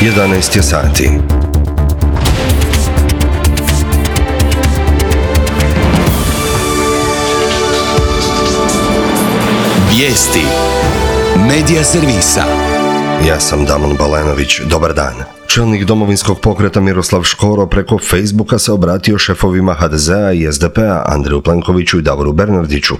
11 je sati. Vijesti Medija servisa. Ja sam Damon Balenović, dobar dan. Čelnik Domovinskog pokreta Miroslav Škoro preko Facebooka se obratio šefovima HDZ-a i SDP-a Andreju Plenkoviću i Davoru Bernardiću.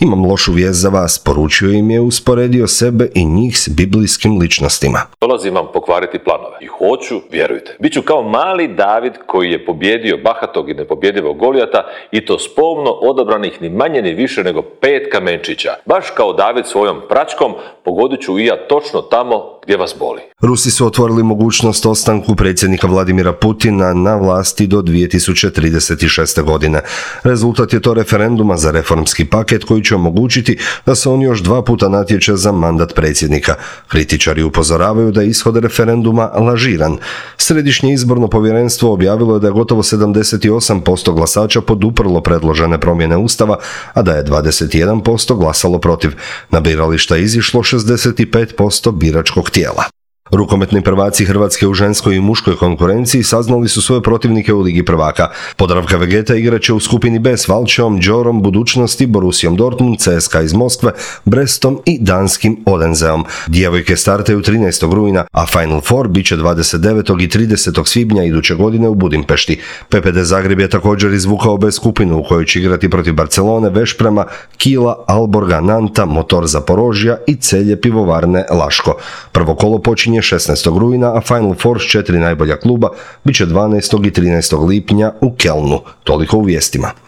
Imam lošu vijest za vas, poručio im je, usporedio sebe i njih s biblijskim ličnostima. Dolazim vam pokvariti planove i hoću, vjerujte, bit ću kao mali David koji je pobjedio bahatog i nepobjedivog Golijata i to s pomno odabranih ni manje ni više nego 5 kamenčića. Baš kao David svojom pračkom pogodit ću i ja točno tamo gdje vas boli. Rusi su otvorili mogućnost ostanku predsjednika Vladimira Putina na vlasti do 2036. godine. Rezultat je to referenduma za reformski paket koji će omogućiti da se on još 2 puta natječe za mandat predsjednika. Kritičari upozoravaju da je ishod referenduma lažiran. Središnje izborno povjerenstvo objavilo je da je gotovo 78% glasača poduprlo predložene promjene Ustava, a da je 21% glasalo protiv. Na birališta je izišlo 65% biračkog tijela. Rukometni prvaci Hrvatske u ženskoj i muškoj konkurenciji saznali su svoje protivnike u Ligi prvaka. Podravka Vegeta igraće u skupini B s Valčevom, Đorom, Budućnosti, Borussijom Dortmund, CSKA iz Moskve, Brestom i danskim Odenseom. Djevojke startaju 13. rujna, a Final Four biće 29. i 30. svibnja iduće godine u Budimpešti. PPD Zagreb je također izvukao B skupinu u kojoj će igrati protiv Barcelone, Vešprema, Kila, Alborga, Nanta, Motor Zaporožja i Celje pivovarne Laško. Prvo kolo počinje 16. rujna, a Final Four s 4 najbolja kluba biće 12. i 13. lipnja u Kelnu. Toliko u vijestima.